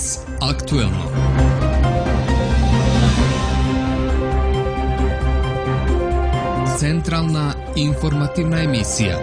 Danas aktuelno. Centralna informativna emisija.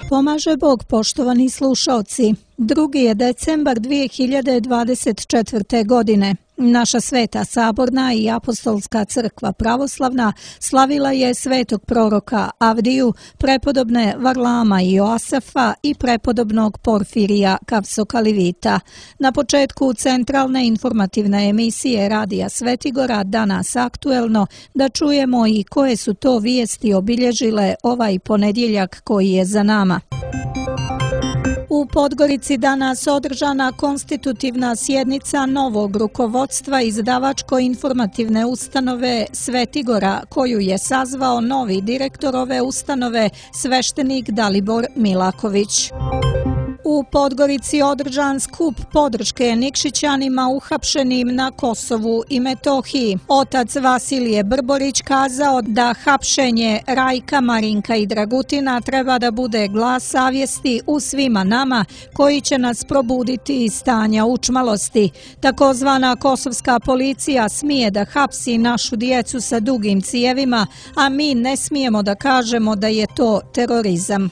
Pomaže Bog, poštovani slušaoci. 2. je decembar 2024. godine. Naša sveta saborna i apostolska crkva pravoslavna slavila je svetog proroka Avdiju, prepodobne Varlama i Joasafa i prepodobnog Porfirija Kavsokalivita. Na početku centralne informativne emisije Radija Svetigora Danas aktuelno da čujemo i koje su to vijesti obilježile ovaj ponedjeljak koji je za nama. U Podgorici danas održana konstitutivna sjednica novog rukovodstva izdavačko-informativne ustanove Svetigora, koju je sazvao novi direktor ove ustanove, sveštenik Dalibor Milaković. U Podgorici održan skup podrške Nikšićanima uhapšenim na Kosovu i Metohiji. Otac Vasilije Brborić kazao da hapšenje Rajka, Marinka i Dragutina treba da bude glas savjesti u svima nama koji će nas probuditi iz stanja učmalosti. Takozvana kosovska policija smije da hapsi našu djecu sa dugim cijevima, a mi ne smijemo da kažemo da je to terorizam.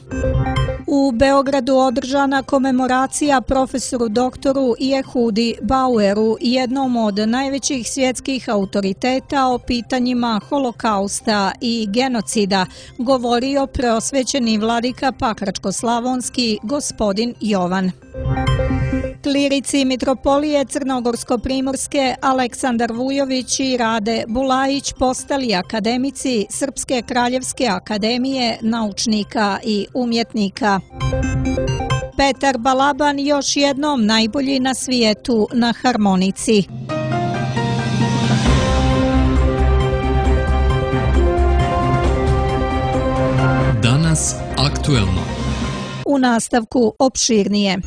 U Beogradu održana komemoracija profesoru doktoru Jehudi Baueru, jednom od najvećih svjetskih autoriteta o pitanjima holokausta i genocida, govorio preosvećeni vladika Pakračko-slavonski gospodin Jovan. Klirici mitropolije Crnogorsko-primorske Aleksandar Vujović i Rade Bulajić postali akademici Srpske kraljevske akademije naučnika i umjetnika. Petar Balaban još jednom najbolji na svijetu na harmonici. Danas aktuelno. U nastavku opširnije.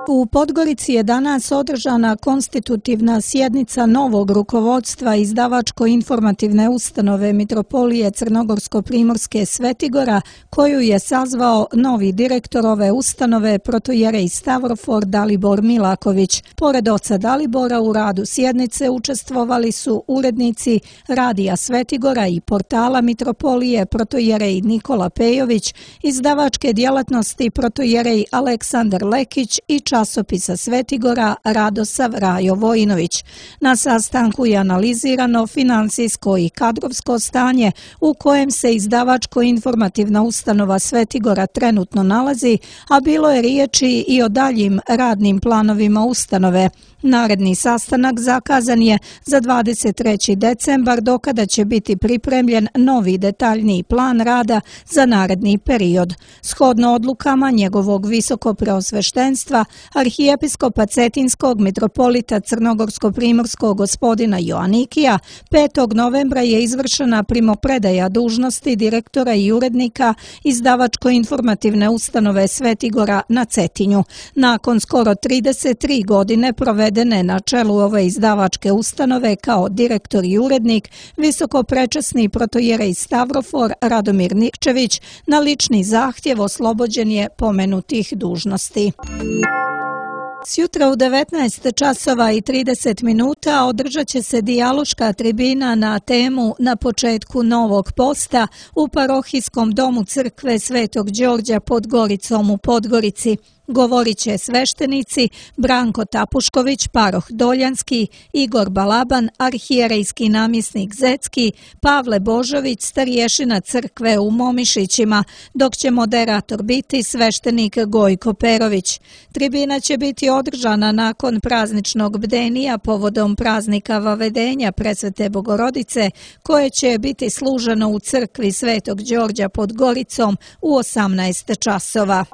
U Podgorici je danas održana konstitutivna sjednica novog rukovodstva izdavačko-informativne ustanove mitropolije Crnogorsko-primorske Svetigora, koju je sazvao novi direktor ove ustanove protojerej Stavrofor Dalibor Milaković. Pored oca Dalibora u radu sjednice učestvovali su urednici Radija Svetigora i portala mitropolije protojerej Nikola Pejović, izdavačke djelatnosti protojerej Aleksandar Lekić i časopisa Svetigora Radosav Rajo Vojinović. Na sastanku je analizirano finansijsko i kadrovsko stanje u kojem se izdavačko-informativna ustanova Svetigora trenutno nalazi, a bilo je riječi i o daljim radnim planovima ustanove. Naredni sastanak zakazan je za 23. decembar, dokada će biti pripremljen novi detaljniji plan rada za naredni period. Shodno odlukama njegovog visokopreosveštenstva, arhijepiskopa Cetinskog mitropolita Crnogorsko-primorskog gospodina Joanikija, 5. novembra je izvršena primopredaja dužnosti direktora i urednika izdavačko-informativne ustanove Svetigora na Cetinju. Nakon skoro 33 godine provedene na čelu ove izdavačke ustanove kao direktor i urednik, visokoprečasni protojerej Stavrofor Radomir Nikčević na lični zahtjev oslobođen je pomenutih dužnosti. Sjutra u 19 časova i 30 minuta održat će se dijaloška tribina na temu Na početku novog posta u parohijskom domu crkve Svetog Đorđa pod Goricom u Podgorici. Govorit će sveštenici Branko Tapušković, paroh Doljanski, Igor Balaban, arhijerejski namjesnik Zecki, Pavle Božović, starješina crkve u Momišićima, dok će moderator biti sveštenik Gojko Perović. Tribina će biti održana nakon prazničnog bdenija povodom praznika Vavedenja Presvete Bogorodice, koje će biti služeno u crkvi Svetog Đorđa pod Goricom u 18 časova.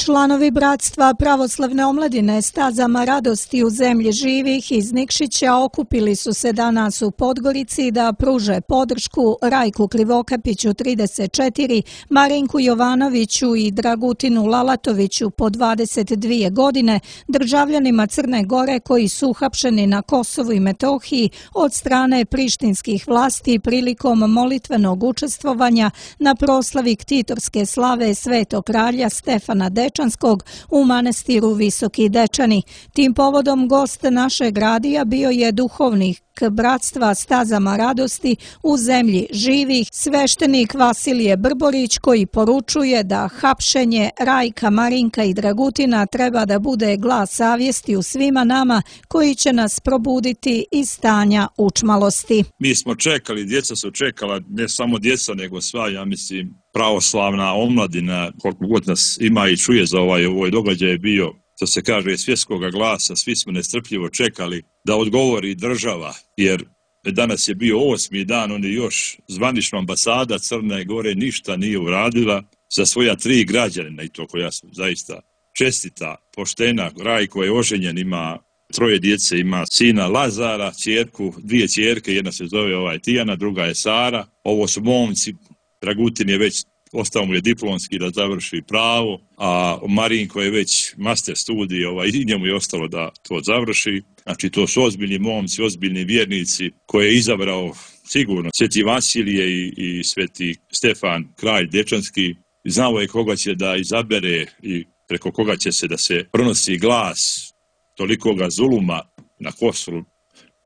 Članovi Bratstva pravoslavne omladine Stazama radosti u zemlji živih iz Nikšića okupili su se danas u Podgorici da pruže podršku Rajku Krivokapiću 34, Marinku Jovanoviću i Dragutinu Lalatoviću po 22 godine, državljanima Crne Gore koji su uhapšeni na Kosovu i Metohiji od strane prištinskih vlasti prilikom molitvenog učestvovanja na proslavi ktitorske slave Svetog kralja Stefana Dečija Dečanskog u manastiru Visoki Dečani. Tim povodom gost našeg radija bio je duhovnik Bratstva stazama radosti u zemlji živih, sveštenik Vasilije Brborić, koji poručuje da hapšenje Rajka, Marinka i Dragutina treba da bude glas savjesti u svima nama koji će nas probuditi iz stanja učmalosti. Mi smo čekali, djeca su čekala, ne samo djeca nego sva, ja mislim, pravoslavna omladina, koliko god nas ima i čuje za ovaj događaj je bio, to se kaže, svjetskoga glasa, svi smo nestrpljivo čekali da odgovori država, jer danas je bio 8. dan, oni još zvanična ambasada Crne Gore ništa nije uradila za svoja 3 građanina, i to koja su zaista čestita, poštena. Rajko je oženjen, ima 3 djece, ima sina Lazara, ćerku, 2 ćerke, jedna se zove Tijana, druga je Sara. Ovo su momci, Dragutin je već, ostao mu je diplomski da završi pravo, a Marinko je već master studij, i njemu je ostalo da to završi. Znači, to su ozbiljni momci, ozbiljni vjernici koje je izabrao sigurno Sveti Vasilije i Sveti Stefan, kralj Dečanski. Znao je koga će da izabere i preko koga će se da se pronosi glas tolikoga zuluma na Kosovu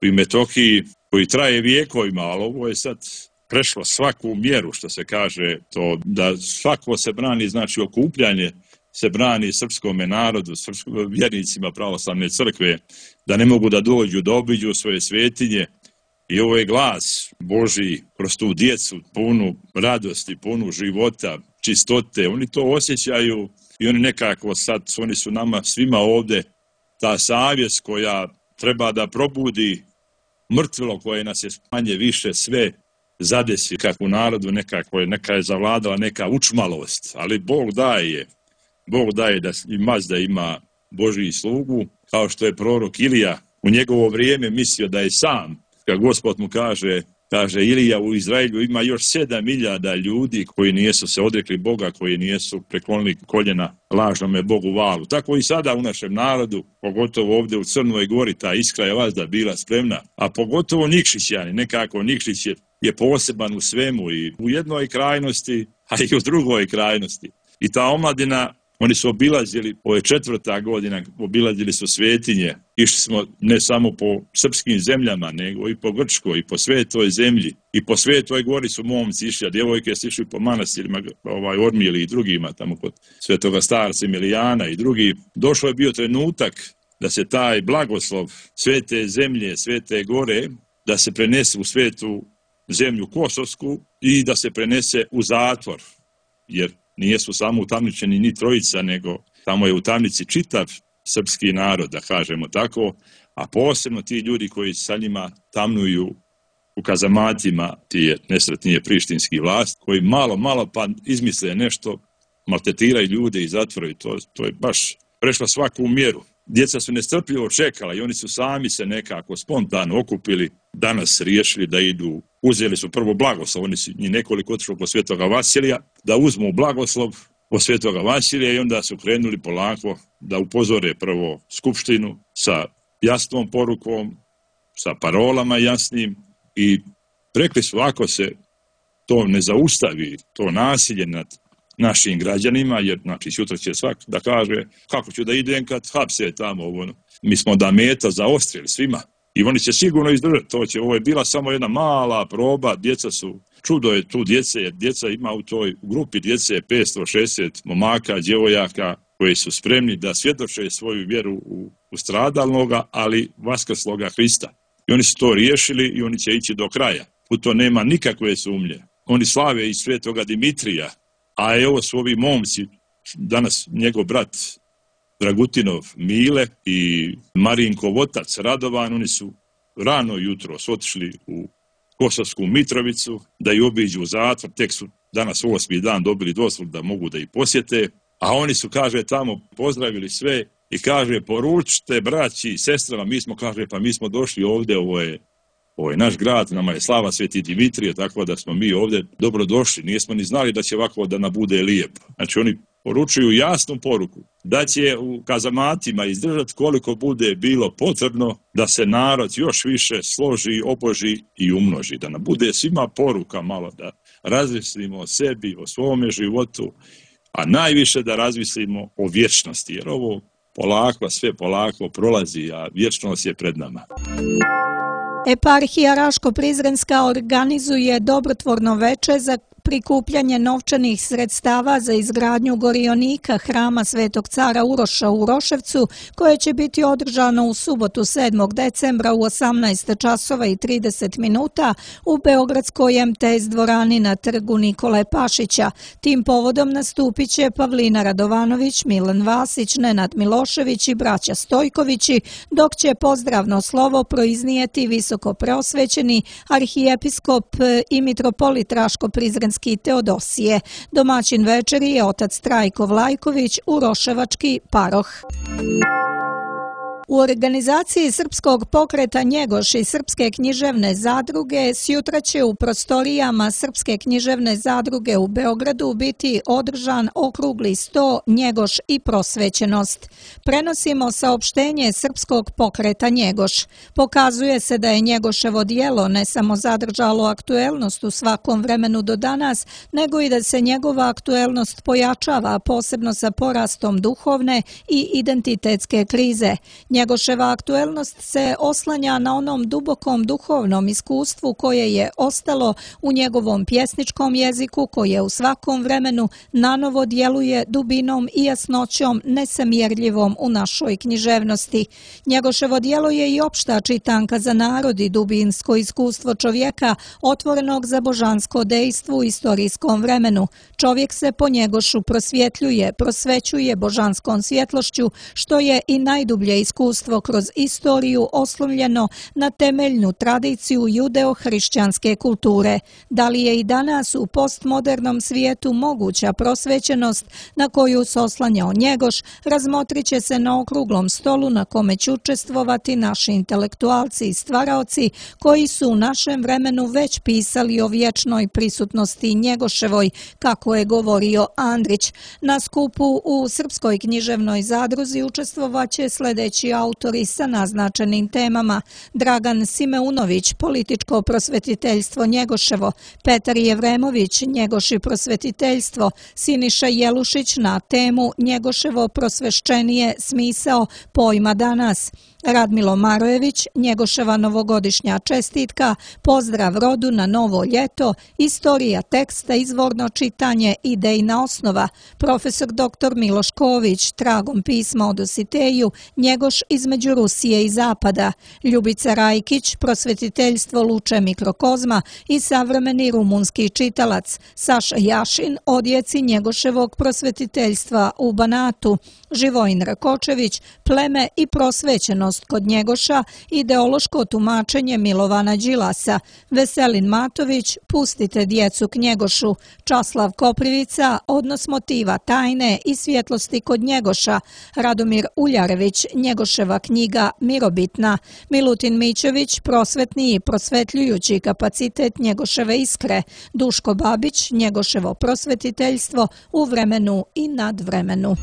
i Metohiji, koji traje vijekovima, ali ovo je sad prešlo svaku mjeru, što se kaže, to da svako se brani, znači okupljanje se brani srpskome narodu, vjernicima pravoslavne crkve, da ne mogu da dođu, da obiđu svoje svetinje. I ovo je glas Božji kroz tu djecu, punu radosti, punu života, čistote. Oni to osjećaju i oni nekako sad, oni su nama svima ovdje ta savjest koja treba da probudi mrtvilo koje nas je manje više sve zadesi, kako u narodu neka je zavladala neka učmalost, ali Bog daje da i Mazda ima Božji slugu, kao što je prorok Ilija u njegovo vrijeme mislio da je sam, kad Gospod mu kaže Ilija, u Izraelju ima još 7.000 ljudi koji nisu se odrekli Boga, koji nisu preklonili koljena lažnome Bogu Valu. Tako i sada u našem narodu, pogotovo ovdje u Crnoj Gori, ta iskra je vazda bila spremna, a pogotovo Nikšićani, nekako Nikšić je poseban u svemu, i u jednoj krajnosti, a i u drugoj krajnosti. I ta omladina, oni su obilazili, ovo je 4. godina, obilazili su svetinje, išli smo ne samo po srpskim zemljama, nego i po Grčkoj, i po Svetoj zemlji, i po Svetoj Gori su momci išli, a djevojke su išli po manastirima, Ormili i drugima, tamo kod Svetoga starca Emilijana i drugi. Došlo je bio trenutak da se taj blagoslov Svete zemlje, Svete Gore, da se prenese u svetu zemlju Kosovsku i da se prenese u zatvor, jer nijesu samo utamničeni ni trojica, nego tamo je u tamnici čitav srpski narod, da kažemo tako, a posebno ti ljudi koji sa njima tamnuju u kazamatima, ti nesretnije prištinski vlast, koji malo pa izmisle nešto, maltretiraju ljude i zatvoraju. To je baš prešlo svaku mjeru. Djeca su nestrpljivo čekala i oni su sami se nekako spontano okupili, danas riješili da idu, uzeli su prvo blagoslov, oni su njih nekoliko otišlo po Svetoga Vasilija, da uzmu blagoslov po Svetoga Vasilija i onda su krenuli polako da upozore prvo skupštinu sa jasnom porukom, sa parolama jasnim, i rekli su, ako se to ne zaustavi, to nasilje nad našim građanima, jer znači sutra će svak da kaže kako ću da idem kad hapse tamo, mi smo da meta zaostrili svima i oni će sigurno izdržati. Ovo je bila samo jedna mala proba, djeca su, čudo je tu djece, jer djeca ima u toj grupi djece 560 momaka, djevojaka koji su spremni da svjedoče svoju vjeru u stradalnoga, ali vaskrsloga Hrista. I oni su to riješili i oni će ići do kraja. U to nema nikakve sumnje. Oni slave i svetoga Dimitrija, a evo su ovi momci, danas njegov brat Dragutinov Mile i Marinkov otac Radovan, oni su rano jutro otišli u Kosovsku Mitrovicu da ju obiđu u zatvor, tek su danas 8. dan dobili dozvolu da mogu da ih posjete, a oni su, kaže, tamo pozdravili sve i kaže, poručite braći i sestrama, mi smo došli ovdje, ovo je naš grad, nama je slava Sveti Dimitrije, tako da smo mi ovdje dobro došli, nismo ni znali da će ovako da nam bude lijepo. Znači oni poručuju jasnu poruku da će u kazamatima izdržati koliko bude bilo potrebno da se narod još više složi, oboži i umnoži, da nam bude svima poruka malo da razmislimo o sebi, o svome životu, a najviše da razmislimo o vječnosti, jer ovo polako, sve polako prolazi, a vječnost je pred nama. Eparhija Raško-Prizrenska organizuje dobrotvorno veče za prikupljanje novčanih sredstava za izgradnju gorionika hrama Svetog cara Uroša u Uroševcu, koje će biti održano u subotu 7. decembra u 18 časova i 30 minuta u Beogradskoj MTS dvorani na trgu Nikole Pašića. Tim povodom nastupit će Pavlina Radovanović, Milan Vasić, Nenad Milošević i braća Stojkovići, dok će pozdravno slovo proiznijeti visoko preosvećeni arhijepiskop i mitropolit Raško-Prizrenski Teodosije. Domaćin večeri je otac Trajko Vlajković, uroševački paroh. U organizaciji Srpskog pokreta Njegoš i Srpske književne zadruge sjutra će u prostorijama Srpske književne zadruge u Beogradu biti održan okrugli sto Njegoš i prosvećenost. Prenosimo saopštenje Srpskog pokreta Njegoš. Pokazuje se da je Njegoševo djelo ne samo zadržalo aktuelnost u svakom vremenu do danas, nego i da se njegova aktuelnost pojačava, posebno sa porastom duhovne i identitetske krize. Njegoševa aktuelnost se oslanja na onom dubokom duhovnom iskustvu koje je ostalo u njegovom pjesničkom jeziku, koje u svakom vremenu nanovo djeluje dubinom i jasnoćom nesamjerljivom u našoj književnosti. Njegoševo djelo je i opšta čitanka za narod i dubinsko iskustvo čovjeka otvorenog za božansko dejstvo u istorijskom vremenu. Čovjek se po Njegošu prosvjetljuje, prosvećuje božanskom svjetlošću, što je i najdublje iskustvo kroz istoriju oslonjeno na temeljnu tradiciju judeo-hrišćanske kulture. Da li je i danas u postmodernom svijetu moguća prosvećenost na koju se oslanjao Njegoš, razmotrit će se na okruglom stolu na kome će učestvovati naši intelektualci i stvaraoci koji su u našem vremenu već pisali o vječnoj prisutnosti Njegoševoj, kako je govorio Andrić. Na skupu u Srpskoj književnoj zadruzi učestvovaće sljedeći autori sa naznačenim temama: Dragan Simeunović, političko prosvetiteljstvo Njegoševo, Petar Jevremović, Njegoš i prosvetiteljstvo, Siniša Jelušić na temu Njegoševo prosvešćenije smisao pojma danas, Radmilo Marojević, Njegoševa novogodišnja čestitka, pozdrav rodu na novo ljeto, istorija teksta, izvorno čitanje, idejna osnova, profesor dr. Miloš Ković, tragom pisma o Dositeju, Njegoš između Rusije i Zapada, Ljubica Rajkić, prosvetiteljstvo Luče mikrokozma i savremeni rumunski čitalac, Saša Jašin, odjeci Njegoševog prosvetiteljstva u Banatu, Živojin Rakočević, pleme i prosvećenost kod Njegoša, ideološko tumačenje Milovana Đilasa, Veselin Matović, pustite djecu k Njegošu, Časlav Koprivica, odnos motiva tajne i svjetlosti kod Njegoša, Radomir Uljarević, Njegoševa knjiga Mirobitna, Milutin Mićević, prosvetni i prosvetljujući kapacitet Njegoševe iskre, Duško Babić, Njegoševo prosvetiteljstvo u vremenu i nadvremenu.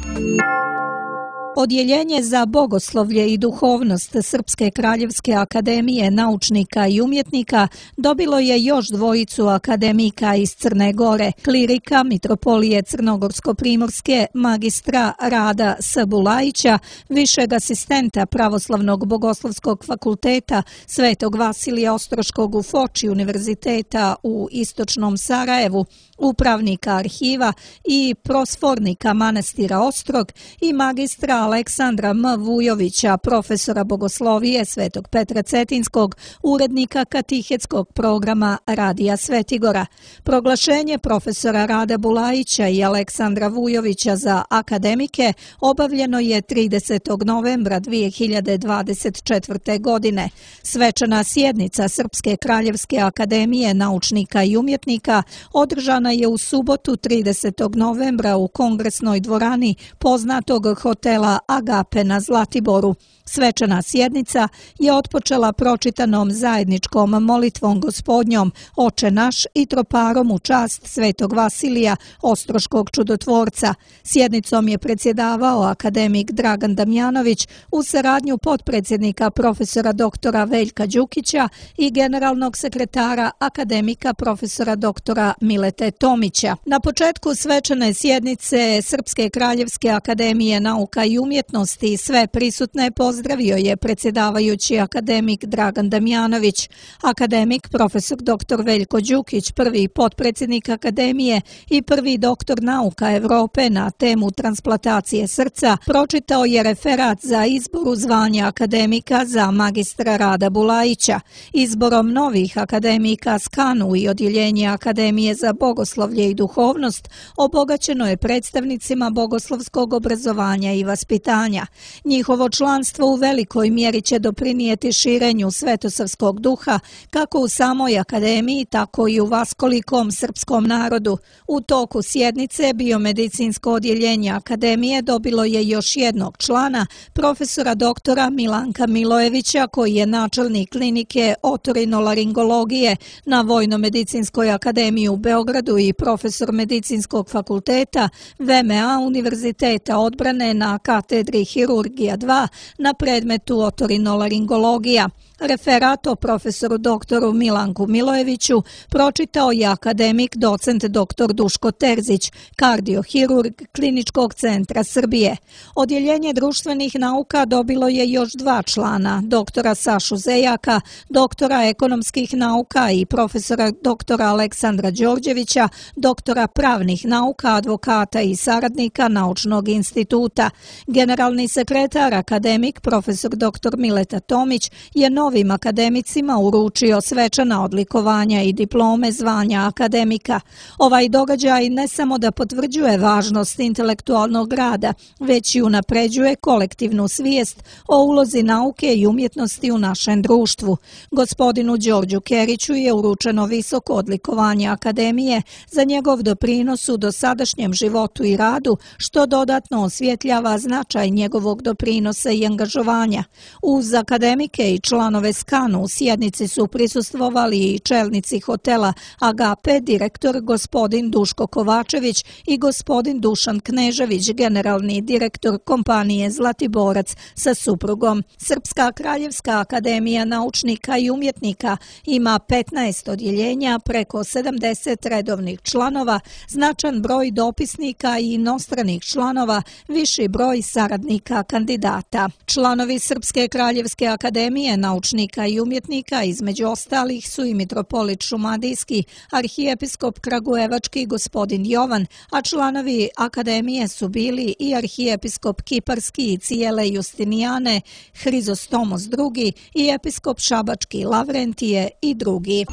Odjeljenje za bogoslovlje i duhovnost Srpske kraljevske akademije naučnika i umjetnika dobilo je još dvojicu akademika iz Crne Gore, klirika mitropolije Crnogorsko-primorske, magistra Rada S. Bulajića, višeg asistenta Pravoslavnog bogoslovskog fakulteta Svetog Vasilija Ostroškog u Foči univerziteta u istočnom Sarajevu, upravnika arhiva i prosfornika manastira Ostrog i magistra Aleksandra M. Vujovića, profesora bogoslovije Svetog Petra Cetinskog, urednika katihetskog programa Radija Svetigora. Proglašenje profesora Rada Bulajića i Aleksandra Vujovića za akademike obavljeno je 30. novembra 2024. godine. Svečana sjednica Srpske kraljevske akademije naučnika i umjetnika održana je u subotu 30. novembra u kongresnoj dvorani poznatog hotela Agape na Zlatiboru. Svečana sjednica je otpočela pročitanom zajedničkom molitvom Gospodnjom, Oče naš i troparom u čast Svetog Vasilija, Ostroškog čudotvorca. Sjednicom je predsjedavao akademik Dragan Damjanović uz saradnju potpredsjednika profesora doktora Veljka Đukića i generalnog sekretara akademika profesora doktora Milete Tomića. Na početku svečane sjednice Srpske kraljevske akademije nauka i umjetnosti sve prisutne pozdravio je predsjedavajući akademik Dragan Damjanović. Akademik profesor dr. Veljko Đukić, prvi potpredsjednik akademije i prvi doktor nauka Europe na temu transplantacije srca, pročitao je referat za izbor u zvanje akademika za magistra Rada Bulajića. Izborom novih akademika Skanu i odjeljenje Akademije za bogoslovlje i duhovnost obogaćeno je predstavnicima bogoslovskog obrazovanja i vaspitanja. Njihovo članstvo u velikoj mjeri će doprinijeti širenju svetosavskog duha kako u samoj akademiji, tako i u vaskolikom srpskom narodu. U toku sjednice biomedicinsko odjeljenje akademije dobilo je još jednog člana, profesora doktora Milanka Milojevića, koji je načelnik klinike otorinolaringologije na Vojno-medicinskoj akademiji u Beogradu i profesor medicinskog fakulteta VMA Univerziteta odbrane na katedri Hirurgija 2 na predmetu otorinolaringologija. Referat o profesoru doktoru Milanku Milojeviću pročitao je akademik docent dr. Duško Terzić, kardiohirurg Kliničkog centra Srbije. Odjeljenje društvenih nauka dobilo je još dva člana, doktora Sašu Zejaka, doktora ekonomskih nauka i profesora doktora Aleksandra Đorđevića, doktora pravnih nauka, advokata i saradnika Naučnog instituta. Generalni sekretar akademik profesor dr. Mileta Tomić je novim akademicima uručio svečana odlikovanja i diplome zvanja akademika. Ovaj događaj ne samo da potvrđuje važnost intelektualnog rada, već i unapređuje kolektivnu svijest o ulozi nauke i umjetnosti u našem društvu. Gospodinu Đorđu Keriću je uručeno visoko odlikovanje akademije za njegov doprinos u dosadašnjem životu i radu, što dodatno osvjetljava značaj njegovog doprinosa i angažovanja. Uz akademike i članove Skanu u sjednici su prisustvovali i čelnici hotela Agape, direktor gospodin Duško Kovačević i gospodin Dušan Knežević, generalni direktor kompanije Zlatiborac sa suprugom. Srpska kraljevska akademija naučnika i umjetnika ima 15 odjeljenja, preko 70 redovnih članova, značan broj dopisnika i inostranih članova, viši broj saradnika kandidata. Članovi Srpske kraljevske akademije naučnika i umjetnika između ostalih su i mitropolit Šumadijski, arhijepiskop Kragujevački gospodin Jovan, a članovi akademije su bili i arhijepiskop Kiparski i Cijele Justinijane, Hrizostomos II i episkop Šabački Lavrentije i drugi.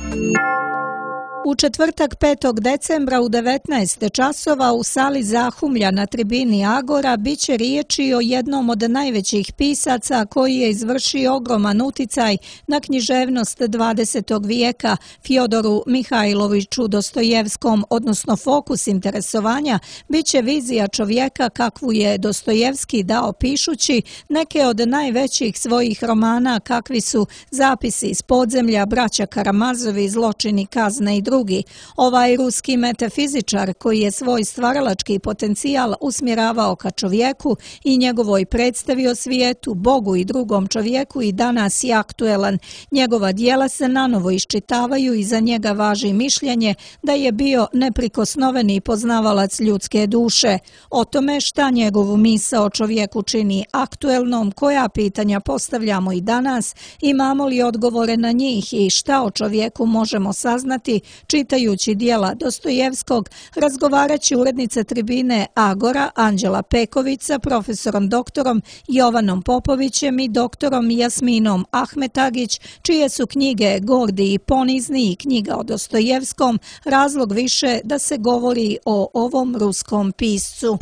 U četvrtak 5. decembra u 19 časova u sali Zahumlja na tribini Agora biće riječi o jednom od najvećih pisaca koji je izvršio ogroman uticaj na književnost 20. vijeka, Fjodoru Mihajloviću Dostojevskom, odnosno fokus interesovanja biće vizija čovjeka kakvu je Dostojevski dao pišući neke od najvećih svojih romana kakvi su Zapisi iz podzemlja, Braća Karamazovi, Zločini, kazne i drugi. Ovaj ruski metafizičar koji je svoj stvaralački potencijal usmjeravao ka čovjeku i njegovoj predstavi o svijetu, Bogu i drugom čovjeku i danas je aktuelan. Njegova dijela se nanovo iščitavaju i za njega važi mišljenje da je bio neprikosnoveni poznavalac ljudske duše. O tome šta njegovu misao o čovjeku čini aktuelnom, koja pitanja postavljamo i danas, imamo li odgovore na njih i šta o čovjeku možemo saznati, čitajući dijela Dostojevskog, razgovarat će urednica tribine Agora Anđela Peković sa profesorom doktorom Jovanom Popovićem i doktorom Jasminom Ahmetagić, čije su knjige Gordi i ponizni i knjiga o Dostojevskom razlog više da se govori o ovom ruskom piscu.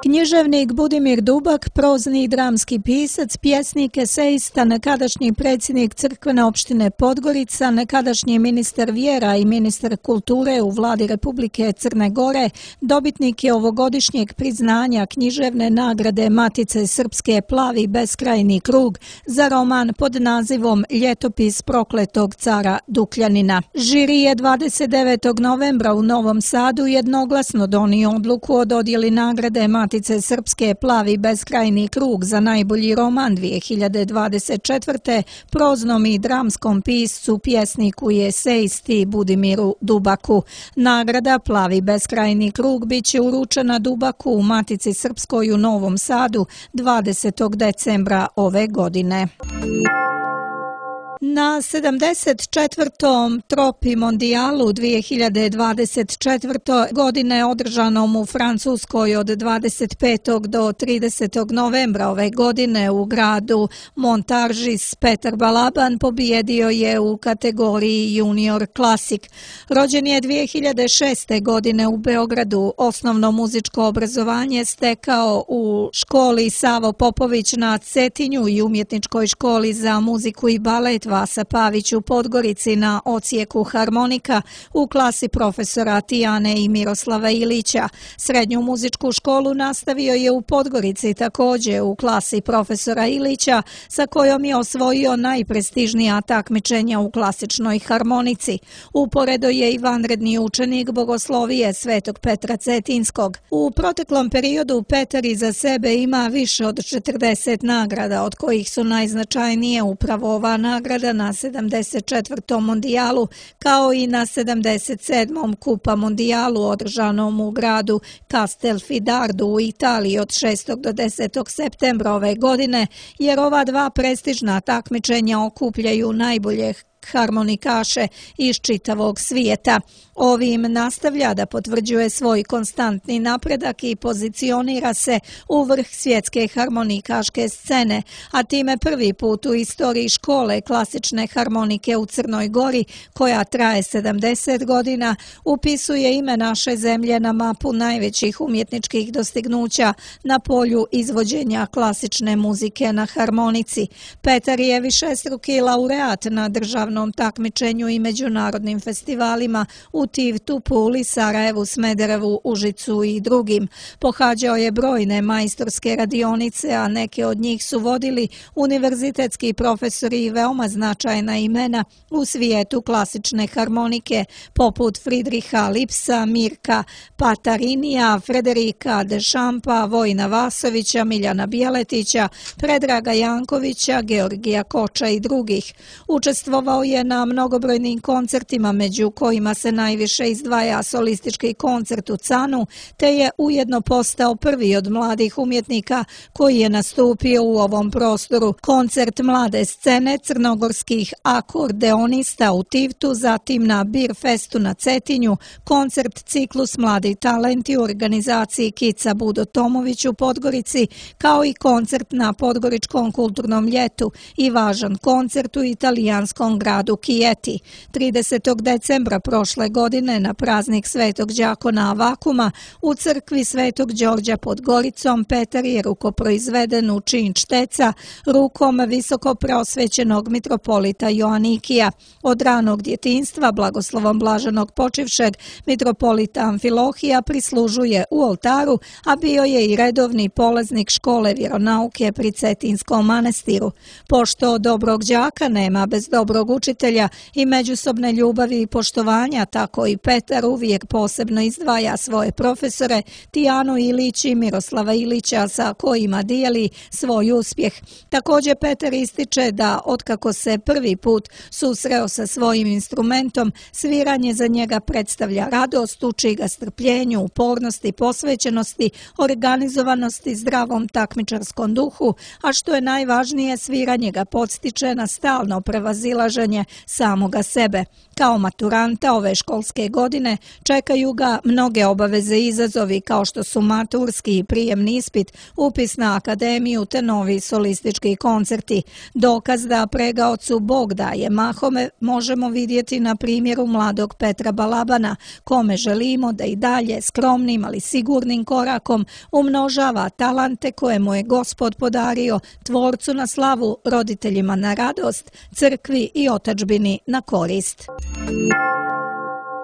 Književnik Budimir Dubak, prozni i dramski pisac, pjesnik, esejista, nekadašnji predsjednik crkvene opštine Podgorica, nekadašnji ministar vjera i ministar kulture u vladi Republike Crne Gore, dobitnik je ovogodišnjeg priznanja književne nagrade Matice Srpske Plavi beskrajni krug za roman pod nazivom Ljetopis prokletog cara Dukljanina. Žiri je 29. novembra u Novom Sadu jednoglasno donio odluku o dodjeli nagrade Matice Srpske Plavi beskrajni krug za najbolji roman 2024. proznom i dramskom piscu, pjesniku i esejisti Budimiru Dubaku. Nagrada Plavi beskrajni krug biće uručena Dubaku u Matici Srpskoj u Novom Sadu 20. decembra ove godine. Na 74. Tropi mondijalu 2024. godine održanom u Francuskoj od 25. do 30. novembra ove godine u gradu Montargis, Petar Balaban pobijedio je u kategoriji Junior Classic. Rođen je 2006. godine u Beogradu, osnovno muzičko obrazovanje stekao u školi Savo Popović na Cetinju i umjetničkoj školi za muziku i balet Vasa Pavić u Podgorici na odsjeku harmonika u klasi profesora Tijane i Miroslava Ilića. Srednju muzičku školu nastavio je u Podgorici također u klasi profesora Ilića, sa kojom je osvojio najprestižnija takmičenja u klasičnoj harmonici. Uporedo je i vanredni učenik bogoslovije Svetog Petra Cetinskog. U proteklom periodu Petar iza sebe ima više od 40 nagrada, od kojih su najznačajnije upravo ova nagrada na 74. mondijalu, kao i na 77. Kupa mondijalu održanom u gradu Castelfidardo u Italiji od 6. do 10. septembra ove godine, jer ova dva prestižna takmičenja okupljaju najbolje harmonikaše iz čitavog svijeta. Ovim nastavlja da potvrđuje svoj konstantni napredak i pozicionira se u vrh svjetske harmonikaške scene, a time prvi put u istoriji škole klasične harmonike u Crnoj Gori, koja traje 70 godina, upisuje ime naše zemlje na mapu najvećih umjetničkih dostignuća na polju izvođenja klasične muzike na harmonici. Petar je višestruki laureat na državnom takmičenju i međunarodnim festivalima u Tivtu, Puli, Sarajevu, Smederevu, Užicu i drugim. Pohađao je brojne majstorske radionice, a neke od njih su vodili univerzitetski profesori i veoma značajna imena u svijetu klasične harmonike, poput Friedricha Lipsa, Mirka Patarinija, Frederika Dešampa, Vojina Vasovića, Miljana Bjeletića, Predraga Jankovića, Georgija Koča i drugih. Učestvovao je na mnogobrojnim koncertima, među kojima se najviše izdvaja solistički koncert u Canu, te je ujedno postao prvi od mladih umjetnika koji je nastupio u ovom prostoru. Koncert mlade scene crnogorskih akordeonista u Tivtu, zatim na Bir Festu na Cetinju, koncert ciklus Mladi talenti u organizaciji Kica Budo Tomović u Podgorici, kao i koncert na Podgoričkom kulturnom ljetu i važan koncert u italijanskom gradu Chieti. 30. decembra prošle godine na praznik Svetog đakona Avakuma u crkvi Svetog Đorđa pod Goricom Petar je rukoproizveden u čin šteca rukom visoko preosvećenog mitropolita Joanikija. Od ranog djetinjstva blagoslovom blaženog počivšeg mitropolita Amfilohija prislužuje u oltaru, a bio je i redovni polaznik škole vjeronauke pri Cetinskom manastiru. Pošto dobrog đaka nema bez dobrog učitelja i međusobne ljubavi i poštovanja, tako i Petar uvijek posebno izdvaja svoje profesore Tijanu Ilić i Miroslava Ilića, sa kojima dijeli svoj uspjeh. Također Petar ističe da otkako se prvi put susreo sa svojim instrumentom, sviranje za njega predstavlja radost, uči ga strpljenju, upornosti, posvećenosti, organizovanosti, zdravom takmičarskom duhu, a što je najvažnije, sviranje ga podstiče na stalno prevazilaženje ispitivanje samoga sebe. Kao maturanta ove školske godine čekaju ga mnoge obaveze i izazovi kao što su maturski i prijemni ispit, upis na akademiju te novi solistički koncerti. Dokaz da pregaocu Bog daje mahome možemo vidjeti na primjeru mladog Petra Balabana, kome želimo da i dalje skromnim ali sigurnim korakom umnožava talante koje mu je Gospod podario, tvorcu na slavu, roditeljima na radost, crkvi i otadžbini na korist.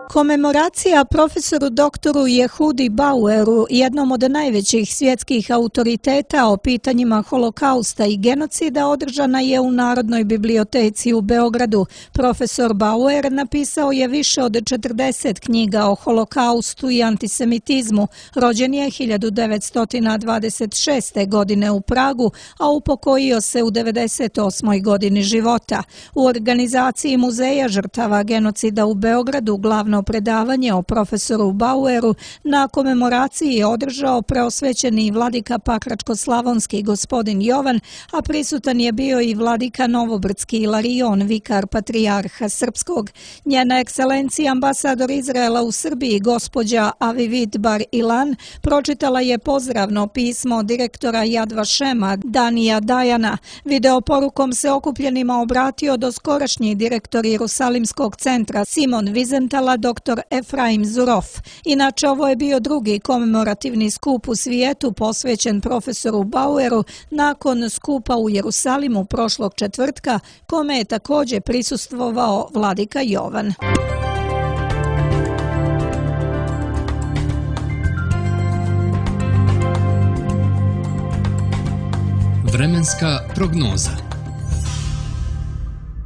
Komemoracija profesoru doktoru Jehudi Baueru, jednom od najvećih svjetskih autoriteta o pitanjima holokausta i genocida, održana je u Narodnoj biblioteci u Beogradu. Profesor Bauer napisao je više od 40 knjiga o holokaustu i antisemitizmu. Rođen je 1926. godine u Pragu, a upokojio se u 98. godini života. U organizaciji Muzeja žrtava genocida u Beogradu glavno predavanje o profesoru Baueru na komemoraciji je održao preosvećeni vladika Pakračko-slavonski gospodin Jovan, a prisutan je bio i vladika Novobrdski Ilarion, vikar patrijarha srpskog. Njena ekscelencija ambasador Izraela u Srbiji, gospođa Avivid Bar Ilan, pročitala je pozdravno pismo direktora Yad Vashema Danija Dajana. Videoporukom se okupljenima obratio doskorašnji direktor Jerusalimskog centra Simon Vizentala, dr. Efraim Zurof. Inače, ovo je bio drugi komemorativni skup u svijetu posvećen profesoru Baueru nakon skupa u Jerusalimu prošlog četvrtka, kome je također prisustvovao vladika Jovan. Vremenska prognoza.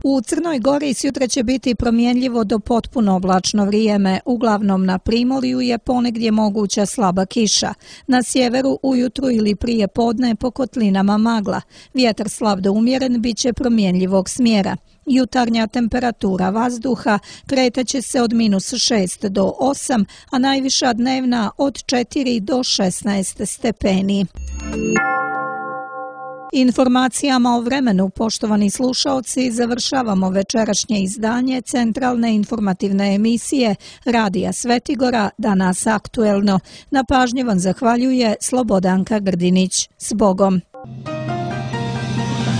U Crnoj Gori sutra će biti promjenljivo do potpuno oblačno vrijeme. Uglavnom na primorju je ponegdje moguća slaba kiša. Na sjeveru ujutru ili prije podne po kotlinama magla. Vjetar slab do umjeren bit će promjenljivog smjera. Jutarnja temperatura vazduha kretaće se od -6 do 8, a najviša dnevna od 4 do 16 stepeni. Informacijama o vremenu, poštovani slušaoci, završavamo večerašnje izdanje centralne informativne emisije Radija Svetigora, Danas aktuelno. Na pažnji vam zahvaljuje Slobodanka Grdinić. S Bogom!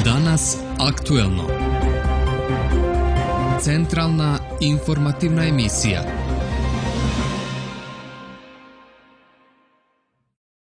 Danas aktuelno. Centralna informativna emisija.